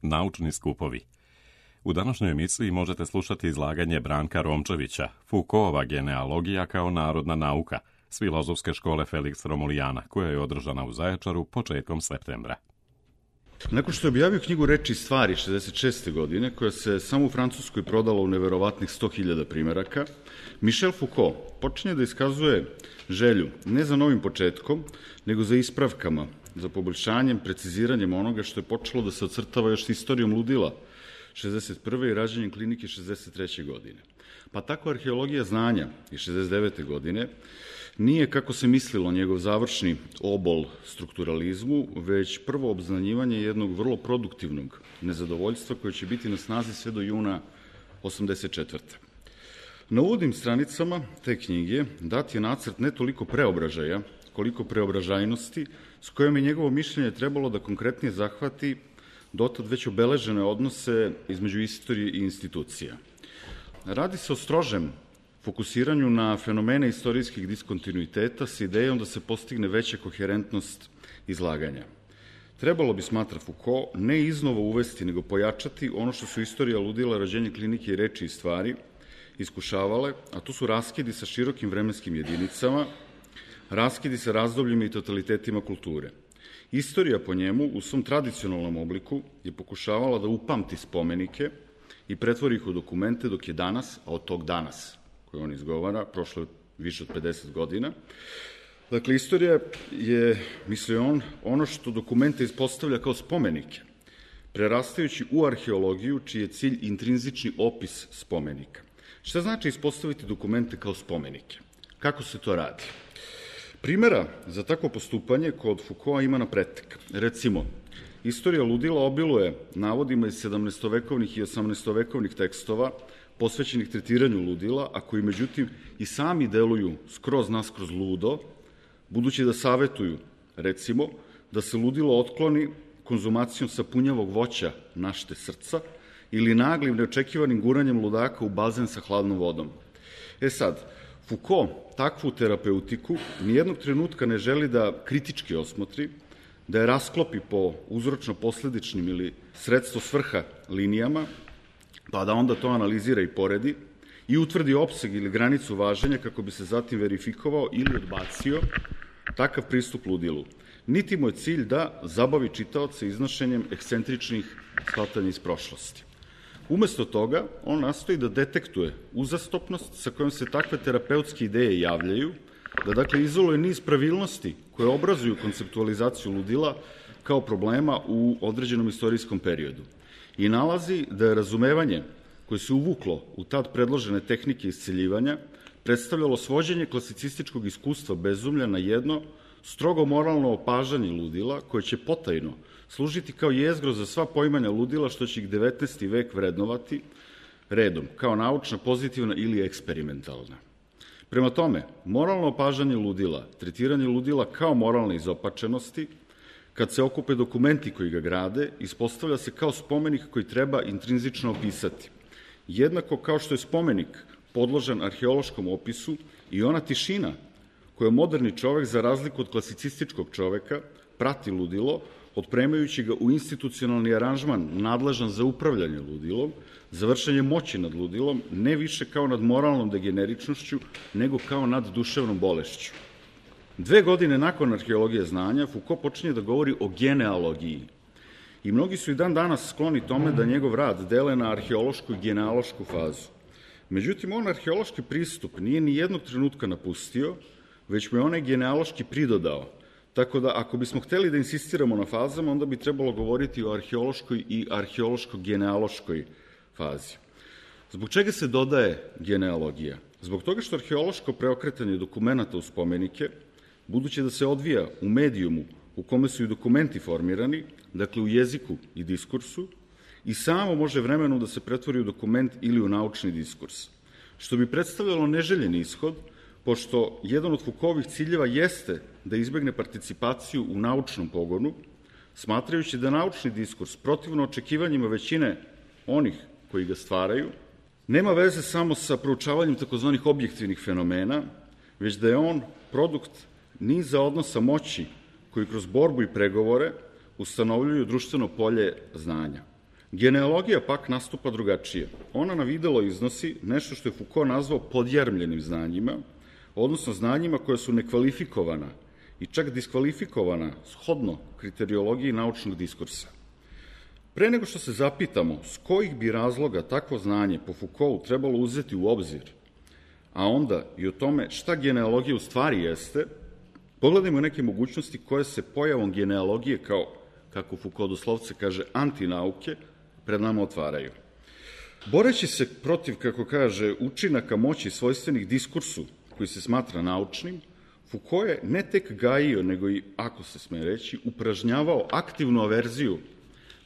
naučni skupovi. U današnjoj emisiji možete slušati izlaganje Branka Romčevića, Foucaultova genealogija kao narodna nauka, s Filozofske škole Felix Romulijana, koja je održana u Zaječaru početkom septembra. Nakon što je objavio knjigu Reči i stvari 66. godine, koja se samo u Francuskoj prodala u neverovatnih 100.000 primeraka, Michel Foucault počinje da iskazuje želju ne za novim početkom, nego za ispravkama, za poboljšanjem, preciziranjem onoga što je počelo da se ocrtava još istorijom ludila 61. i rađenjem klinike 63. godine. Pa tako arheologija znanja iz 69. godine nije, kako se mislilo, njegov završni obol strukturalizmu, već prvo obznanjivanje jednog vrlo produktivnog nezadovoljstva koje će biti na snazi sve do juna 84. Na uvodnim stranicama te knjige dat je nacrt ne toliko preobražaja, koliko preobražajnosti, s kojom je njegovo mišljenje trebalo da konkretnije zahvati dotad već obeležene odnose između istorije i institucija. Radi se o strožem fokusiranju na fenomene istorijskih diskontinuiteta s idejom da se postigne veća koherentnost izlaganja. Trebalo bi, smatra Foucault, ne iznova uvesti, nego pojačati ono što su istorija ludila, rođenje klinike i reči i stvari iskušavale, a to su raskidi sa širokim vremenskim jedinicama, raskidi sa razdobljima i totalitetima kulture. Istorija po njemu u svom tradicionalnom obliku je pokušavala da upamti spomenike i pretvori ih u dokumente, dok je danas, a od tog danas koje on izgovara, prošlo je više od 50 godina. Dakle, istorija je, mislio on, ono što dokumente ispostavlja kao spomenike, prerastajući u arheologiju, čiji je cilj intrinzični opis spomenika. Šta znači ispostaviti dokumente kao spomenike? Kako se to radi? Primera za takvo postupanje kod Foucaulta ima na pretek. Recimo, istorija ludila obiluje navodima iz 17-vekovnih i 18-vekovnih tekstova posvećenih tretiranju ludila, a koji međutim i sami deluju skroz naskroz ludo, budući da savetuju, recimo, da se ludilo otkloni konzumacijom sapunjavog voća našte srca ili naglim neočekivanim guranjem ludaka u bazen sa hladnom vodom. Sad, Foucault takvu terapeutiku nijednog trenutka ne želi da kritički osmotri, da je rasklopi po uzročno-posledičnim ili sredstvo svrha linijama, pa da onda to analizira i poredi i utvrdi opseg ili granicu važenja kako bi se zatim verifikovao ili odbacio takav pristup ludilu. Niti mu je cilj da zabavi čitaoce iznošenjem ekscentričnih shvatanja iz prošlosti. Umesto toga, on nastoji da detektuje uzastopnost sa kojom se takve terapeutske ideje javljaju, da dakle izoluje niz pravilnosti koje obrazuju konceptualizaciju ludila kao problema u određenom istorijskom periodu. I nalazi da je razumevanje koje se uvuklo u tad predložene tehnike isceljivanja predstavljalo svođenje klasicističkog iskustva bezumlja na jedno strogo moralno opažanje ludila koje će potajno služiti kao jezgro za sva poimanja ludila što će ih 19. vek vrednovati redom, kao naučna, pozitivna ili eksperimentalna. Prema tome, moralno opažanje ludila, tretiranje ludila kao moralne izopačenosti, kad se okupe dokumenti koji ga grade, ispostavlja se kao spomenik koji treba intrinzično opisati. Jednako kao što je spomenik podložan arheološkom opisu i ona tišina koju moderni čovek, za razliku od klasicističkog čoveka, prati ludilo, otpremajući ga u institucionalni aranžman nadležan za upravljanje ludilom, za vršenje moći nad ludilom, ne više kao nad moralnom degeneričnošću, nego kao nad duševnom bolešću. 2 godine nakon arheologije znanja, Foucault počinje da govori o genealogiji. I mnogi su i dan danas skloni tome da njegov rad dele na arheološku i genealošku fazu. Međutim, on arheološki pristup nije ni jednog trenutka napustio, već mu je onaj genealoški pridodao. Tako da, ako bismo hteli da insistiramo na fazama, onda bi trebalo govoriti o arheološkoj i arheološko-genealoškoj fazi. Zbog čega se dodaje genealogija? Zbog toga što arheološko preokretanje dokumenta u spomenike, budući da se odvija u medijumu u kome su i dokumenti formirani, dakle u jeziku i diskursu, i samo može vremenom da se pretvori u dokument ili u naučni diskurs, što bi predstavljalo neželjeni ishod, pošto jedan od Foucaultovih ciljeva jeste da izbegne participaciju u naučnom pogonu, smatrajući da naučni diskurs, protivno očekivanjima većine onih koji ga stvaraju, nema veze samo sa proučavanjem takozvanih objektivnih fenomena, već da je on produkt niza odnosa moći koji kroz borbu i pregovore ustanovljuju društveno polje znanja. Genealogija pak nastupa drugačije. Ona na videlo iznosi nešto što je Foucault nazvao podjarmljenim znanjima, odnosno znanjima koja su nekvalifikovana i čak diskvalifikovana shodno kriteriologiji naučnog diskursa. Pre nego što se zapitamo s kojih bi razloga takvo znanje po Foucaultu trebalo uzeti u obzir, a onda i o tome šta genealogija u stvari jeste, pogledajmo neke mogućnosti koje se pojavom genealogije kao, kako Foucault doslovce kaže, antinauke, pred nama otvaraju. Boreći se protiv, kako kaže, učinaka moći svojstvenih diskursu koji se smatra naučnim, Foucault je ne tek gajio, nego i, ako se sme reći, upražnjavao aktivnu averziju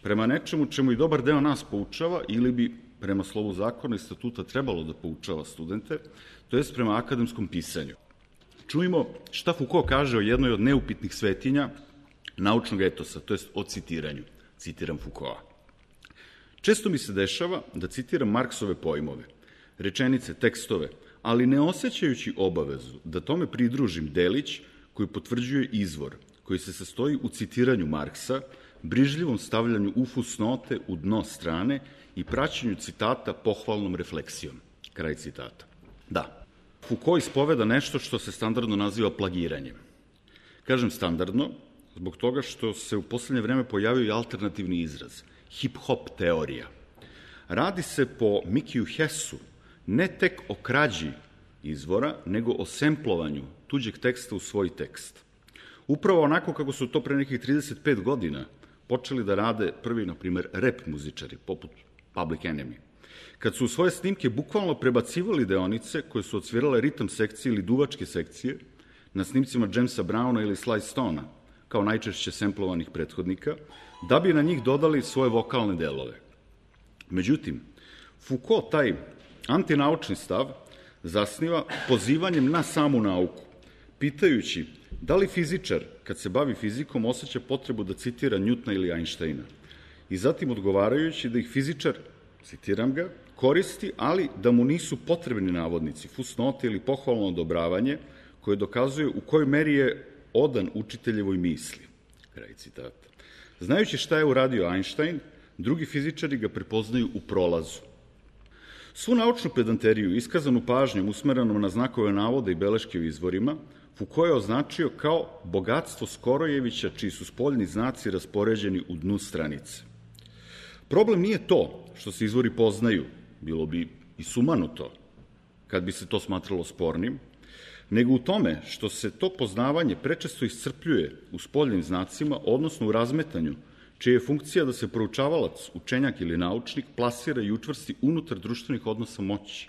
prema nečemu čemu i dobar deo nas poučava ili bi, prema slovu zakona i statuta, trebalo da poučava studente, to jest prema akademskom pisanju. Čujmo šta Foucault kaže o jednoj od neupitnih svetinja naučnog etosa, to jest o citiranju. Citiram Foucaulta. Često mi se dešava da citiram Marksove pojmove, rečenice, tekstove, ali ne osjećajući obavezu da tome pridružim delić koji potvrđuje izvor, koji se sastoji u citiranju Marksa, brižljivom stavljanju u fusnote u dno strane i praćenju citata pohvalnom refleksijom. Kraj citata. Da, Foucault ispoveda nešto što se standardno naziva plagiranjem. Kažem standardno, zbog toga što se u poslednje vreme pojavio i alternativni izraz, hip-hop teorija. Radi se po Mikiju Hessu ne tek o krađi izvora, nego o semplovanju tuđeg teksta u svoj tekst. Upravo onako kako su to pre nekih 35 godina počeli da rade prvi, na primer, rap muzičari, poput Public Enemy, kad su u svoje snimke bukvalno prebacivali deonice koje su odsvirale ritam sekcije ili duvačke sekcije na snimcima Jamesa Browna ili Sly Stona, kao najčešće semplovanih prethodnika, da bi na njih dodali svoje vokalne delove. Međutim, Foucault taj antinaučni stav zasniva pozivanjem na samu nauku, pitajući da li fizičar, kad se bavi fizikom, osjeća potrebu da citira Newtona ili Einsteina, i zatim odgovarajući da ih fizičar, citiram ga, koristi, ali da mu nisu potrebni navodnici, fusnote ili pohvalno odobravanje, koje dokazuje u kojoj meri je odan učiteljevoj misli. Kraj citata. Znajući šta je uradio Einstein, drugi fizičari ga prepoznaju u prolazu. Svu naučnu pedanteriju, iskazanu pažnjom usmerenom na znakove navoda i beleške u izvorima, Foucault je označio kao bogatstvo Skorojevića, čiji su spoljni znaci raspoređeni u dnu stranice. Problem nije to što se izvori poznaju, bilo bi i sumanuto kad bi se to smatralo spornim, nego u tome što se to poznavanje prečesto iscrpljuje u spoljnim znacima, odnosno u razmetanju, čija je funkcija da se proučavalac, učenjak ili naučnik plasira i učvrsti unutar društvenih odnosa moći.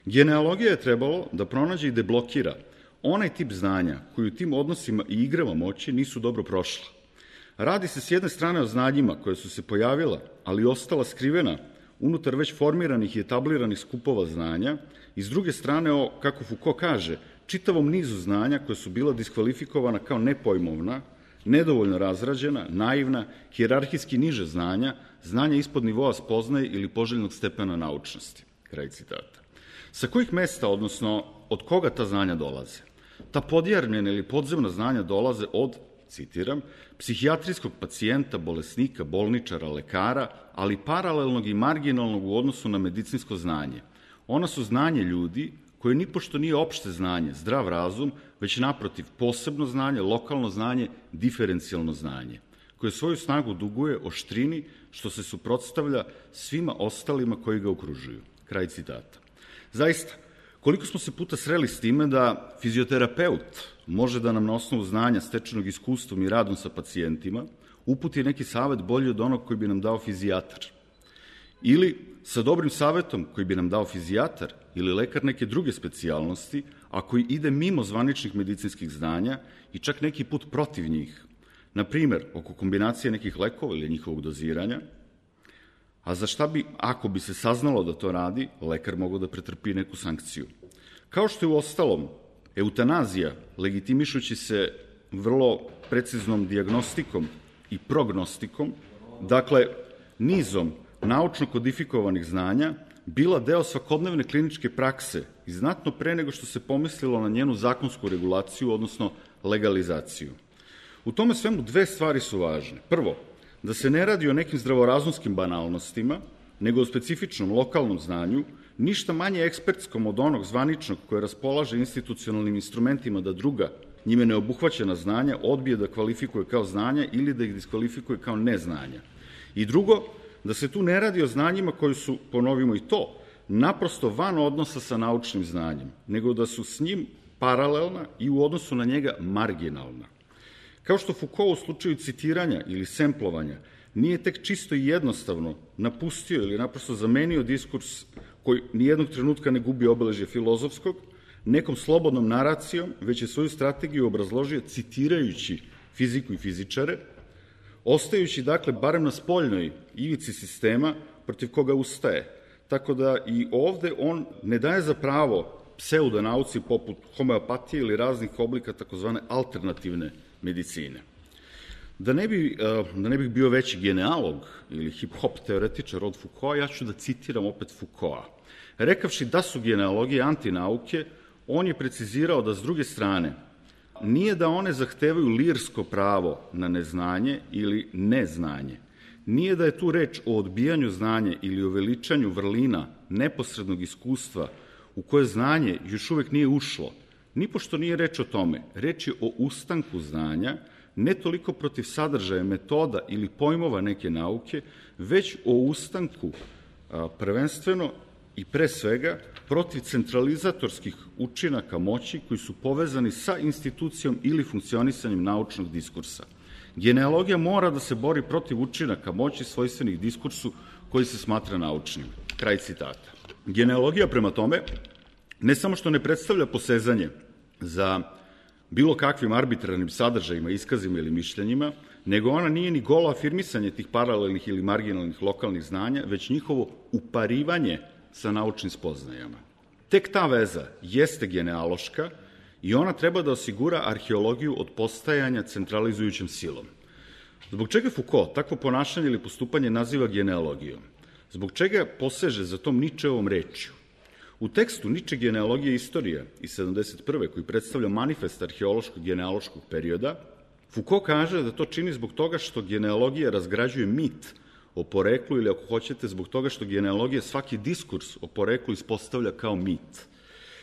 Genealogija je trebalo da pronađe i deblokira onaj tip znanja koji u tim odnosima i igrama moći nisu dobro prošla. Radi se s jedne strane o znanjima koje su se pojavila, ali ostala skrivena unutar već formiranih i etabliranih skupova znanja, i s druge strane o, kako Foucault kaže, čitavom nizu znanja koja su bila diskvalifikovana kao nepojmovna, nedovoljno razrađena, naivna, hijerarhijski niže znanja, znanja ispod nivoa spoznaje ili poželjnog stepena naučnosti. Kraj citata. Sa kojih mesta, odnosno od koga ta znanja dolaze? Ta podjarmljena ili podzemna znanja dolaze od, citiram, psihijatrijskog pacijenta, bolesnika, bolničara, lekara, ali paralelnog i marginalnog u odnosu na medicinsko znanje. Ona su znanje ljudi koje nipošto nije opšte znanje, zdrav razum, već naprotiv posebno znanje, lokalno znanje, diferencijalno znanje, koje svoju snagu duguje oštrini što se suprotstavlja svima ostalima koji ga okružuju. Kraj citata. Zaista, koliko smo se puta sreli s time da fizioterapeut može da nam na osnovu znanja stečenog iskustvom i radom sa pacijentima uputi neki savet bolji od onog koji bi nam dao fizijatar. Ili sa dobrim savetom koji bi nam dao fizijatar ili lekar neke druge specijalnosti, a koji ide mimo zvaničnih medicinskih znanja i čak neki put protiv njih, na primer oko kombinacije nekih lekova ili njihovog doziranja, a za šta bi, ako bi se saznalo da to radi, lekar mogao da pretrpi neku sankciju. Kao što je u ostalom eutanazija, legitimišući se vrlo preciznom dijagnostikom i prognostikom, dakle nizom naučno kodifikovanih znanja, bila deo svakodnevne kliničke prakse i znatno pre nego što se pomislilo na njenu zakonsku regulaciju, odnosno legalizaciju. U tome svemu dve stvari su važne. Prvo, da se ne radi o nekim zdravorazumskim banalnostima, nego o specifičnom lokalnom znanju, ništa manje ekspertskom od onog zvaničnog koje raspolaže institucionalnim instrumentima da druga, njime neobuhvaćena znanja, odbije da kvalifikuje kao znanja ili da ih diskvalifikuje kao neznanja. I drugo, da se tu ne radi o znanjima koji su, ponovimo i to, naprosto van odnosa sa naučnim znanjem, nego da su s njim paralelna i u odnosu na njega marginalna. Kao što Foucault u slučaju citiranja ili semplovanja nije tek čisto i jednostavno napustio ili naprosto zamenio diskurs koji nijednog trenutka ne gubi obeležje filozofskog, nekom slobodnom naracijom, već je svoju strategiju obrazložio citirajući fiziku i fizičare, ostajući, dakle, barem na spoljnoj ivici sistema protiv koga ustaje. Tako da i ovde on ne daje za pravo pseudonauci poput homeopatije ili raznih oblika takozvane alternativne medicine. Da ne bih bio veći genealog ili hip-hop teoretičar od Foucaulta, ja ću da citiram opet Foucaulta. Rekavši da su genealogije antinauke, on je precizirao da s druge strane nije da one zahtevaju lirsko pravo na neznanje ili neznanje. Nije da je tu reč o odbijanju znanja ili o veličanju vrlina neposrednog iskustva u koje znanje još uvek nije ušlo. Nipošto nije reč o tome. Reč je o ustanku znanja, ne toliko protiv sadržaja, metoda ili pojmova neke nauke, već o ustanku prvenstveno i pre svega protiv centralizatorskih učinaka moći koji su povezani sa institucijom ili funkcionisanjem naučnog diskursa. Genealogija mora da se bori protiv učinaka moći svojstvenih diskursu koji se smatra naučnim. Kraj citata. Genealogija, prema tome, ne samo što ne predstavlja posezanje za bilo kakvim arbitrarnim sadržajima, iskazima ili mišljenjima, nego ona nije ni golo afirmisanje tih paralelnih ili marginalnih lokalnih znanja, već njihovo uparivanje sa naučnim spoznajama. Tek ta veza jeste genealoška i ona treba da osigura arheologiju od postajanja centralizujućom silom. Zbog čega Foucault takvo ponašanje ili postupanje naziva genealogijom? Zbog čega poseže za tom Ničeovom rečju? U tekstu Niče genealogije istorija iz 71. koji predstavlja manifest arheološkog genealoškog perioda, Foucault kaže da to čini zbog toga što genealogija razgrađuje mit o poreklu ili, ako hoćete, zbog toga što genealogija svaki diskurs o poreklu ispostavlja kao mit.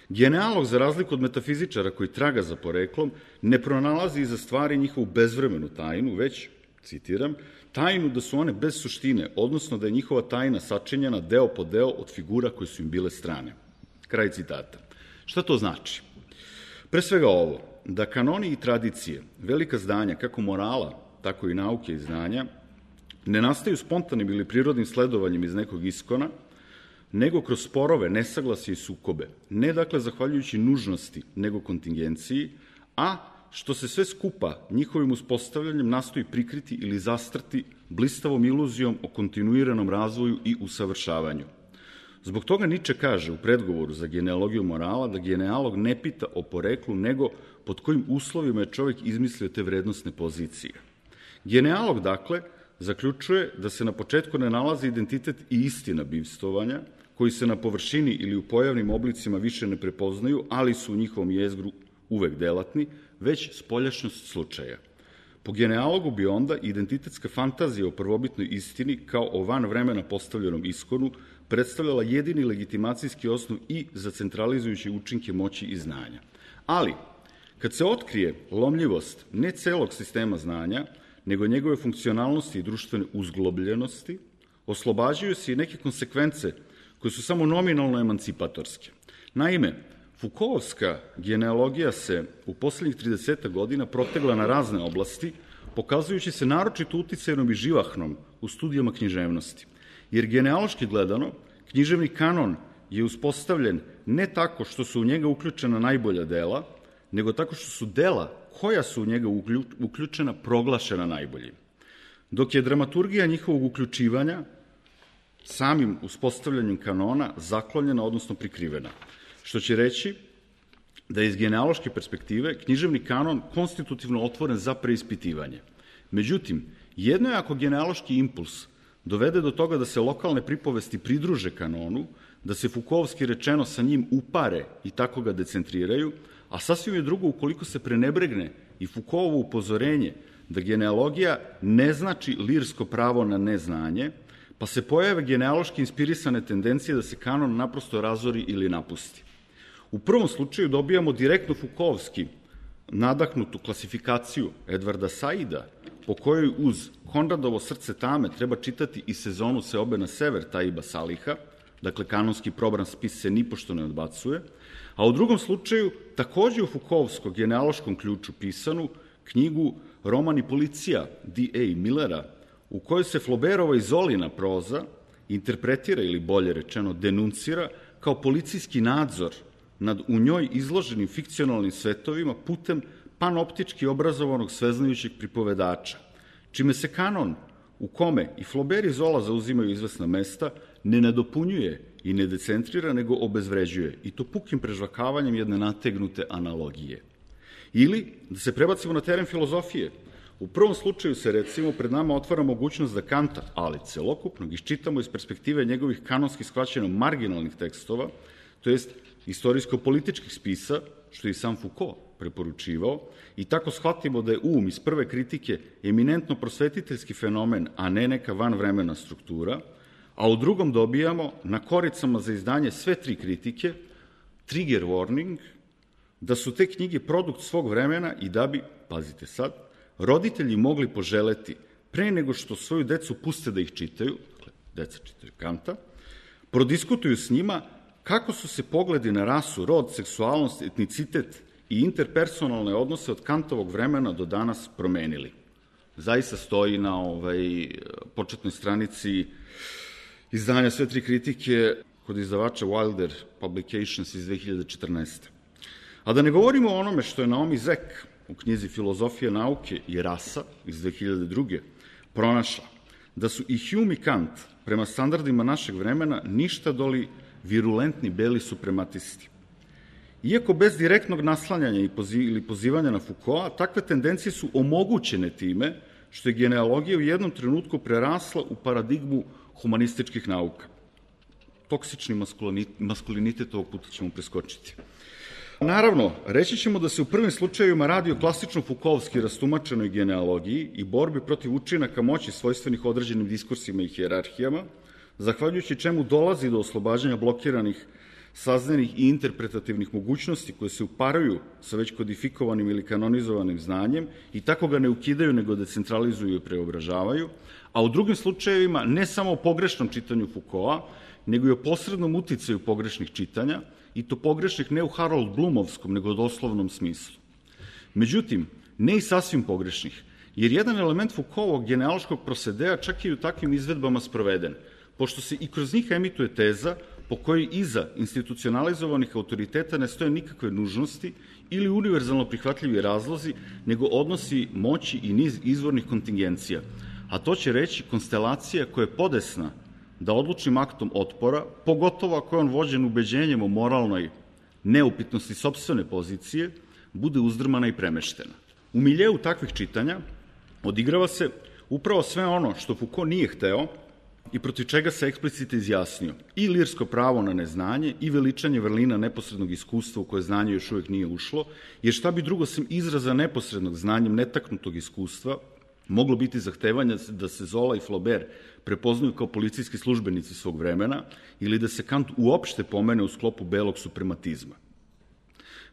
Genealog, za razliku od metafizičara koji traga za poreklom, ne pronalazi iza stvari njihovu bezvremenu tajnu, već, citiram, tajnu da su one bez suštine, odnosno da je njihova tajna sačinjena deo po deo od figura koje su im bile strane. Kraj citata. Šta to znači? Pre svega ovo, da kanoni i tradicije, velika zdanja, kako morala, tako i nauke i znanja, ne nastaju spontanim ili prirodnim sledovanjem iz nekog iskona, nego kroz sporove, nesaglasje i sukobe. Ne, dakle, zahvaljujući nužnosti, nego kontingenciji, a što se sve skupa njihovim uspostavljanjem nastoji prikriti ili zastrti blistavom iluzijom o kontinuiranom razvoju i usavršavanju. Zbog toga Niče kaže u predgovoru za genealogiju morala da genealog ne pita o poreklu, nego pod kojim uslovima je čovjek izmislio te vrednostne pozicije. Genealog, dakle, zaključuje da se na početku ne nalazi identitet i istina bivstvovanja, koji se na površini ili u pojavnim oblicima više ne prepoznaju, ali su u njihovom jezgru uvek delatni, već spoljašnjost slučaja. Po genealogu bi onda identitetska fantazija o prvobitnoj istini kao o van vremena postavljenom iskonu predstavljala jedini legitimacijski osnov i za centralizujuće učinke moći i znanja. Ali, kad se otkrije lomljivost ne celog sistema znanja, nego njegove funkcionalnosti i društvene uzglobljenosti, oslobađaju se i neke konsekvence koje su samo nominalno emancipatorske. Naime, Foucaultovska genealogija se u poslednjih 30 godina protegla na razne oblasti, pokazujući se naročito uticajnom i živahnom u studijama književnosti. Jer genealoški gledano, književni kanon je uspostavljen ne tako što su u njega uključena najbolja dela, nego tako što su dela koja su u njega uključena proglašena najboljim. Dok je dramaturgija njihovog uključivanja samim uspostavljanjem kanona zaklonjena, odnosno prikrivena. Što će reći da je iz genealoške perspektive književni kanon konstitutivno otvoren za preispitivanje. Međutim, jedno je ako genealoški impuls dovede do toga da se lokalne pripovesti pridruže kanonu, da se Foucaultovski rečeno sa njim upare i tako ga decentriraju, a sasvim je drugo ukoliko se prenebregne i Foucaultovo upozorenje da genealogija ne znači lirsko pravo na neznanje, pa se pojave genealoški inspirisane tendencije da se kanon naprosto razori ili napusti. U prvom slučaju dobijamo direktno Foucaultski nadahnutu klasifikaciju Edvarda Saida, po kojoj uz Konradovo srce tame treba čitati i Sezonu seobe na sever Taiba Saliha, dakle kanonski probran spis se nipošto ne odbacuje, a u drugom slučaju takođe u Foucaultskom genealoškom ključu pisanu knjigu Roman i policija D.A. Millera, u kojoj se Flaubertova i Zolina proza interpretira ili bolje rečeno denuncira kao policijski nadzor nad u njoj izloženim fikcionalnim svetovima putem panoptički obrazovanog sveznajućeg pripovedača, čime se kanon u kome i Flaubert i Zola zauzimaju izvesna mesta ne nadopunjuje i ne decentrira, nego obezvređuje, i to pukim prežvakavanjem jedne nategnute analogije. Ili, da se prebacimo na teren filozofije, u prvom slučaju se, recimo, pred nama otvara mogućnost da Kanta, ali celokupnog, iščitamo iz perspektive njegovih kanonski shvaćeno marginalnih tekstova, to jest istorijsko-političkih spisa, što je i sam Foucault preporučivao, i tako shvatimo da je iz prve kritike eminentno prosvetiteljski fenomen, a ne neka vanvremena struktura, a u drugom dobijamo na koricama za izdanje sve tri kritike trigger warning, da su te knjige produkt svog vremena i da bi, pazite sad, roditelji mogli poželeti pre nego što svoju decu puste da ih čitaju, dakle, deca čitaju Kanta, prodiskutuju s njima kako su se pogledi na rasu, rod, seksualnost, etnicitet i interpersonalne odnose od Kantovog vremena do danas promenili. Zaista stoji na početnoj stranici izdanja sve tri kritike kod izdavača Wilder Publications iz 2014. A da ne govorimo o onome što je Naomi Zek u knjizi Filozofija nauke i rasa iz 2002. pronašla, da su i Hume i Kant prema standardima našeg vremena ništa doli virulentni beli suprematisti. Iako bez direktnog naslanjanja ili pozivanja na Foucaulta, takve tendencije su omogućene time što je genealogija u jednom trenutku prerasla u paradigmu humanističkih nauka. Toksični maskulinitet ovog puta ćemo preskočiti. Naravno, reći ćemo da se u prvim slučajevima radi o klasično Foucaultski rastumačenoj genealogiji i borbi protiv učinaka moći svojstvenih određenim diskursima i hijerarhijama, zahvaljujući čemu dolazi do oslobađanja blokiranih saznanih i interpretativnih mogućnosti koje se uparaju sa već kodifikovanim ili kanonizovanim znanjem i tako ga ne ukidaju, nego decentralizuju i preobražavaju, a u drugim slučajevima ne samo o pogrešnom čitanju Foucaulta, nego i o posrednom uticaju pogrešnih čitanja, i to pogrešnih ne u Harold Bloomovskom, nego u doslovnom smislu. Međutim, ne i sasvim pogrešnih, jer jedan element Foucaultovog genealoškog prosedea čak i u takvim izvedbama sproveden, pošto se i kroz njih emituje teza po kojoj iza institucionalizovanih autoriteta ne stoje nikakve nužnosti ili univerzalno prihvatljivi razlozi, nego odnosi moći i niz izvornih kontingencija, a to će reći konstelacija koja je podesna da odlučnim aktom otpora, pogotovo ako je on vođen ubeđenjem o moralnoj neupitnosti sopstvene pozicije, bude uzdrmana i premeštena. U miljeu takvih čitanja odigrava se upravo sve ono što Foucault nije hteo i protiv čega se eksplicite izjasnio, i lirsko pravo na neznanje i veličanje vrlina neposrednog iskustva u koje znanje još uvek nije ušlo, jer šta bi drugo sem izraza neposrednog znanjem netaknutog iskustva moglo biti zahtevanja da se Zola i Flaubert prepoznaju kao policijski službenici svog vremena ili da se Kant uopšte pomene u sklopu belog suprematizma.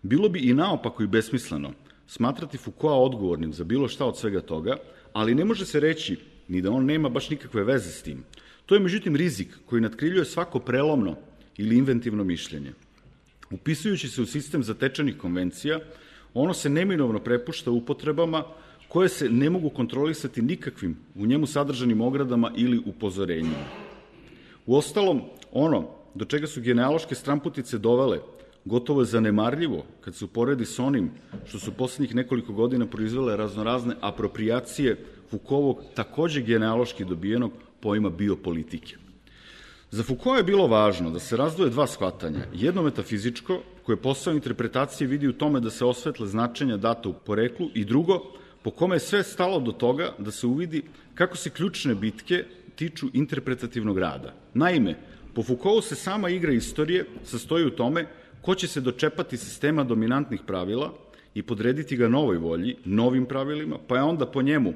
Bilo bi i naopako i besmisleno smatrati Foucaulta odgovornim za bilo šta od svega toga, ali ne može se reći ni da on nema baš nikakve veze s tim. To je međutim rizik koji natkriljuje svako prelomno ili inventivno mišljenje. Upisujući se u sistem zatečenih konvencija, ono se neminovno prepušta upotrebama koje se ne mogu kontrolisati nikakvim u njemu sadržanim ogradama ili upozorenjima. Uostalom, ono do čega su genealoške stramputice dovele gotovo je zanemarljivo kad se uporedi s onim što su poslednjih nekoliko godina proizvele raznorazne apropriacije Foucaultovog takođe genealoški dobijenog pojma biopolitike. Za Foucaulta je bilo važno da se razdvoje dva shvatanja, jedno metafizičko, koje posao interpretacije vidi u tome da se osvetle značenja data u poreklu, i drugo, po kome je sve stalo do toga da se uvidi kako se ključne bitke tiču interpretativnog rada. Naime, po Foucaultu se sama igra istorije sastoji u tome ko će se dočepati sistema dominantnih pravila i podrediti ga novoj volji, novim pravilima, pa je onda po njemu,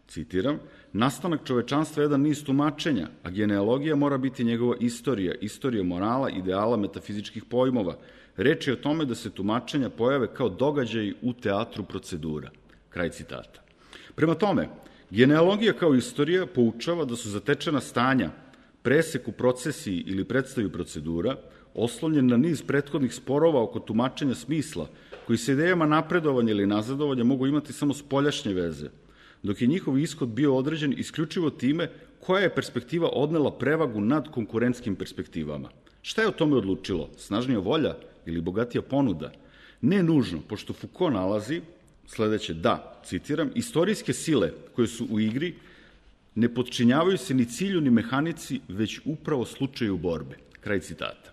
citiram, nastanak čovečanstva je jedan niz tumačenja, a genealogija mora biti njegova istorija, istorija morala, ideala, metafizičkih pojmova. Reč je o tome da se tumačenja pojave kao događaji u teatru procedura. Kraj citata. Prema tome, genealogija kao istorija poučava da su zatečena stanja, presek u procesiji ili predstavi procedura, oslonjen na niz prethodnih sporova oko tumačenja smisla, koji se idejama napredovanja ili nazadovanja mogu imati samo spoljašnje veze, dok je njihov ishod bio određen isključivo time koja je perspektiva odnela prevagu nad konkurentskim perspektivama. Šta je o tome odlučilo? Snažnija volja ili bogatija ponuda? Ne nužno, pošto Foucault nalazi sledeće, da, citiram, istorijske sile koje su u igri ne podčinjavaju se ni cilju ni mehanici, već upravo slučaju borbe. Kraj citata.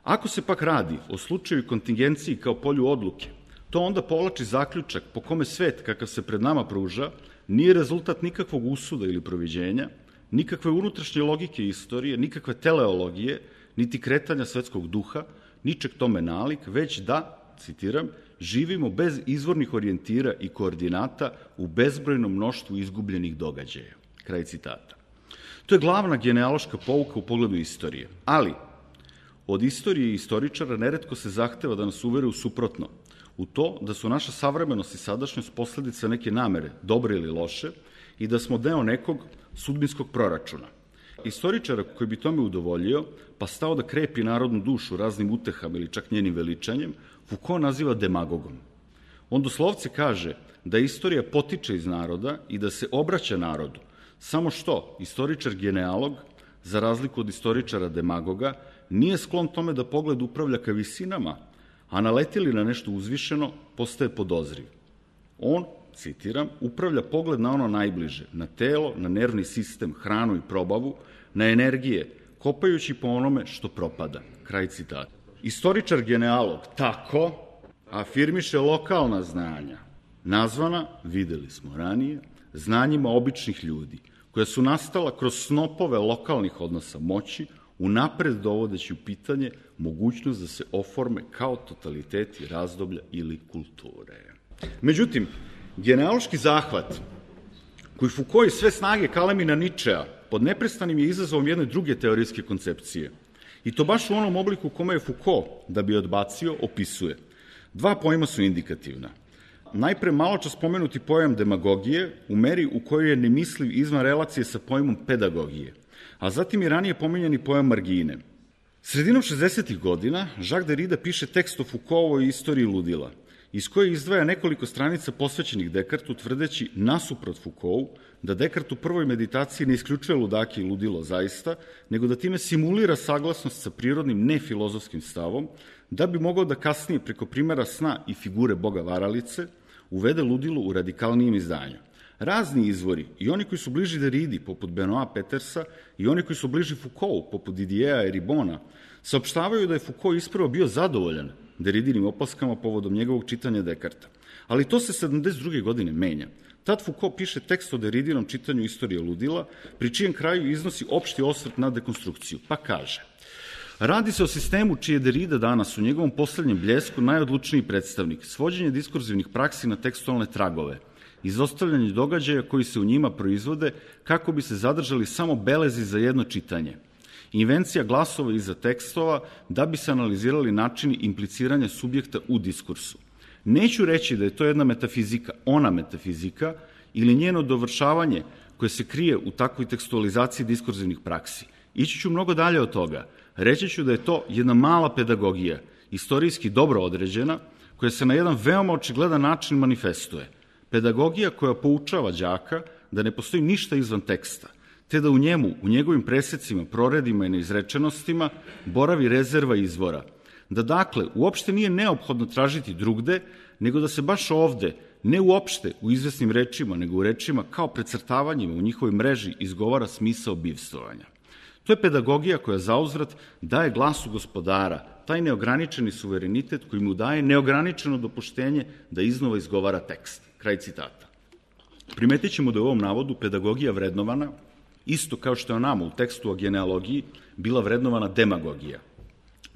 Ako se pak radi o slučaju kontingenciji kao polju odluke, to onda povlači zaključak po kome svet kakav se pred nama pruža nije rezultat nikakvog usuda ili proviđenja, nikakve unutrašnje logike istorije, nikakve teleologije, niti kretanja svetskog duha, ničeg tome nalik, već da, citiram, živimo bez izvornih orijentira i koordinata u bezbrojnom mnoštvu izgubljenih događaja. Kraj citata. To je glavna genealoška pouka u pogledu istorije, ali od istorije i istoričara neretko se zahteva da nas uvere u suprotno, u to da su naša savremenost i sadašnjost posledica neke namere, dobre ili loše, i da smo deo nekog sudbinskog proračuna. Istoričara koji bi tome udovoljio, pa stao da krepi narodnu dušu raznim utehama ili čak njenim veličanjem, Foucault naziva demagogom. On doslovce kaže da istorija potiče iz naroda i da se obraća narodu, samo što istoričar genealog, za razliku od istoričara demagoga, nije sklon tome da pogled upravlja ka visinama, a naleti li na nešto uzvišeno, postaje podozriv. On, citiram, upravlja pogled na ono najbliže, na telo, na nervni sistem, hranu i probavu, na energije, kopajući po onome što propada. Kraj citata. Istoričar genealog tako afirmiše lokalna znanja, nazvana, videli smo ranije, znanjima običnih ljudi, koja su nastala kroz snopove lokalnih odnosa moći, unapred dovodeći u pitanje mogućnost da se oforme kao totaliteti razdoblja ili kulture. Međutim, genealoški zahvat, koji Foucault iz sve snage kalemi na Ničea, pod neprestanim je izazovom jedne druge teorijske koncepcije. I to baš u onom obliku kome je Foucault, da bi odbacio, opisuje. Dva pojma su indikativna. Najpre maločas spomenuti pojam demagogije u meri u kojoj je nemisliv izvan relacije sa pojmom pedagogije, a zatim i ranije pominjani pojam margine. Sredinom 60. godina Jacques Derrida piše tekst o Foucaultovoj istoriji ludila, iz koje izdvaja nekoliko stranica posvećenih Descartesu, tvrdeći nasuprot Foucaultu da Descartes u prvoj meditaciji ne isključuje ludake i ludilo zaista, nego da time simulira saglasnost sa prirodnim nefilozofskim stavom, da bi mogao da kasnije preko primjera sna i figure boga varalice uvede ludilo u radikalnijem izdanju. Razni izvori, i oni koji su bliži Derridi, poput Benoît Petersa, i oni koji su bliži Foucaultu, poput Didiera i Ribona, saopštavaju da je Foucault ispravo bio zadovoljan Derridinim opaskama povodom njegovog čitanja Descartesa. Ali to se 72. godine menja. Tad Foucault piše tekst o Derridinom čitanju istorije ludila, pri čijem kraju iznosi opšti osvrt na dekonstrukciju, pa kaže: radi se o sistemu čiji je Derrida danas u njegovom poslednjem bljesku najodlučniji predstavnik, svođenje diskurzivnih praksi na tekstualne tragove, izostavljanje događaja koji se u njima proizvode kako bi se zadržali samo belezi za jedno čitanje, invencija glasova iza tekstova da bi se analizirali načini impliciranja subjekta u diskursu. Neću reći da je to jedna metafizika, ona metafizika, ili njeno dovršavanje koje se krije u takvoj tekstualizaciji diskurzivnih praksi. Ići ću mnogo dalje od toga. Reći ću da je to jedna mala pedagogija, istorijski dobro određena, koja se na jedan veoma očigledan način manifestuje. Pedagogija koja poučava đaka da ne postoji ništa izvan teksta, te da u njemu, u njegovim presecima, proredima i neizrečenostima boravi rezerva izvora. Da dakle, uopšte nije neophodno tražiti drugde, nego da se baš ovde, ne uopšte u izvesnim rečima, nego u rečima kao precrtavanjima u njihovoj mreži izgovara smisao bivstvovanja. To je pedagogija koja zauzvrat daje glasu gospodara, taj neograničeni suverenitet koji mu daje neograničeno dopuštenje da iznova izgovara tekst. Kraj citata. Primetit ćemo da je u ovom navodu pedagogija vrednovana, isto kao što je nama u tekstu o genealogiji bila vrednovana demagogija.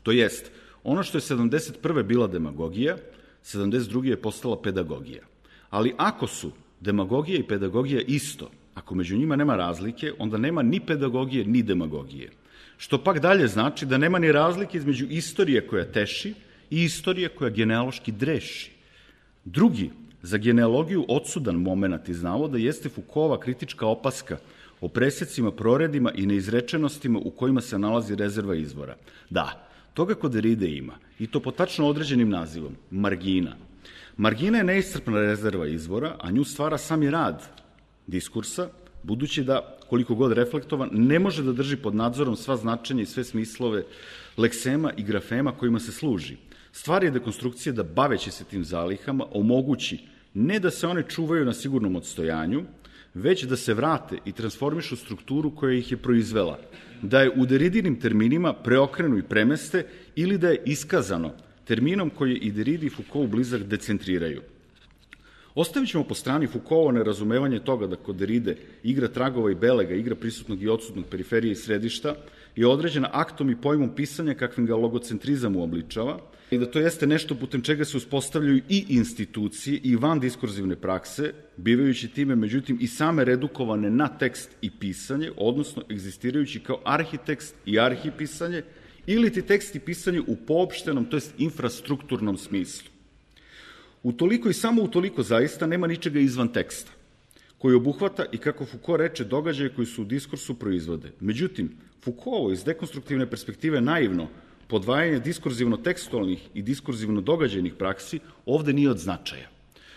To jest, ono što je 71. bila demagogija, 72. je postala pedagogija. Ali ako su demagogija i pedagogija isto, ako među njima nema razlike, onda nema ni pedagogije, ni demagogije. Što pak dalje znači da nema ni razlike između istorije koja teši i istorije koja genealoški dreši. Drugi, za genealogiju odsudan moment iz navoda jeste Foucaultova kritička opaska o presecima, proredima i neizrečenostima u kojima se nalazi rezerva izvora. Da, toga kod Derride ima, i to po tačno određenim nazivom, margina. Margina je neiscrpna rezerva izvora, a nju stvara sami rad diskursa, budući da, koliko god reflektovan, ne može da drži pod nadzorom sva značenja i sve smislove leksema i grafema kojima se služi. Stvar je dekonstrukcije da, baveći se tim zalihama, omogući ne da se one čuvaju na sigurnom odstojanju, već da se vrate i transformišu strukturu koja ih je proizvela, da je u Derridinim terminima preokrenu i premeste ili da je iskazano terminom koji i Derrida i Foucault blizak decentriraju. Ostavit ćemo po strani Foucaultovo nerazumevanje toga da kod Derride igra tragova i belega, igra prisutnog i odsutnog, periferije i središta, je određena aktom i pojmom pisanja kakvim ga logocentrizam uobličava, i da to jeste nešto putem čega se uspostavljaju i institucije i van diskurzivne prakse, bivajući time, međutim, i same redukovane na tekst i pisanje, odnosno egzistirajući kao arhitekst i arhipisanje, ili ti tekst i pisanje u poopštenom, to jest infrastrukturnom smislu. Utoliko i samo utoliko zaista nema ničega izvan teksta, koji obuhvata i, kako Foucault reče, događaje koji su u diskursu proizvode. Međutim, Foucaultovo iz dekonstruktivne perspektive naivno podvajanje diskurzivno-tekstualnih i diskurzivno-događajnih praksi ovde nije od značaja.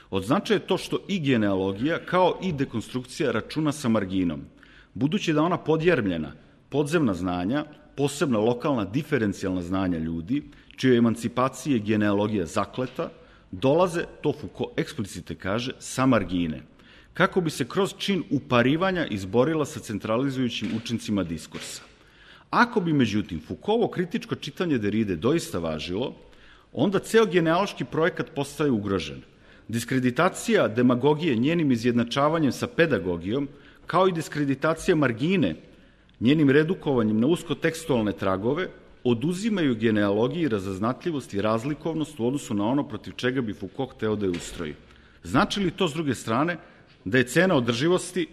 Od značaja je to što i genealogija, kao i dekonstrukcija, računa sa marginom, budući da ona podjermljena, podzemna znanja, posebna lokalna diferencijalna znanja ljudi, čije emancipacije genealogija zakleta, dolaze, to Foucault eksplicite kaže, sa margine, kako bi se kroz čin uparivanja izborila sa centralizujućim učincima diskursa. Ako bi, međutim, Foucaultovo kritičko čitanje Derride doista važilo, onda ceo genealoški projekat postaje ugrožen. Diskreditacija demagogije njenim izjednačavanjem sa pedagogijom, kao i diskreditacija margine njenim redukovanjem na uskotekstualne tragove, oduzimaju genealogiji razaznatljivost i razlikovnost u odnosu na ono protiv čega bi Foucault hteo da je ustroji. Znači li to, s druge strane, da je cena održivosti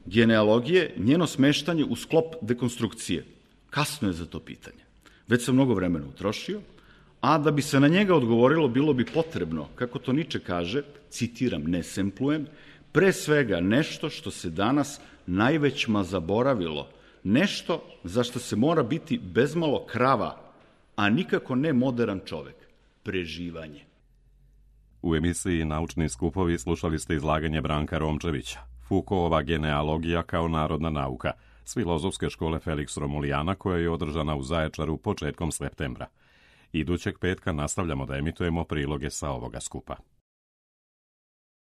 genealogije njeno smeštanje u sklop dekonstrukcije? Kasno je za to pitanje. Već sam mnogo vremena utrošio, a da bi se na njega odgovorilo, bilo bi potrebno, kako to Nietzsche kaže, citiram, ne semplujem, pre svega nešto što se danas najvećma zaboravilo, nešto za što se mora biti bezmalo krava, a nikako ne moderan čovek, preživanje. U emisiji Naučni skupovi slušali ste izlaganje Branka Romčevića, Foucaultova genealogija kao narodna nauka, s Filozofske škole Felix Romulijana, koja je održana u Zaječaru početkom septembra. Idućeg petka nastavljamo da emitujemo priloge sa ovoga skupa.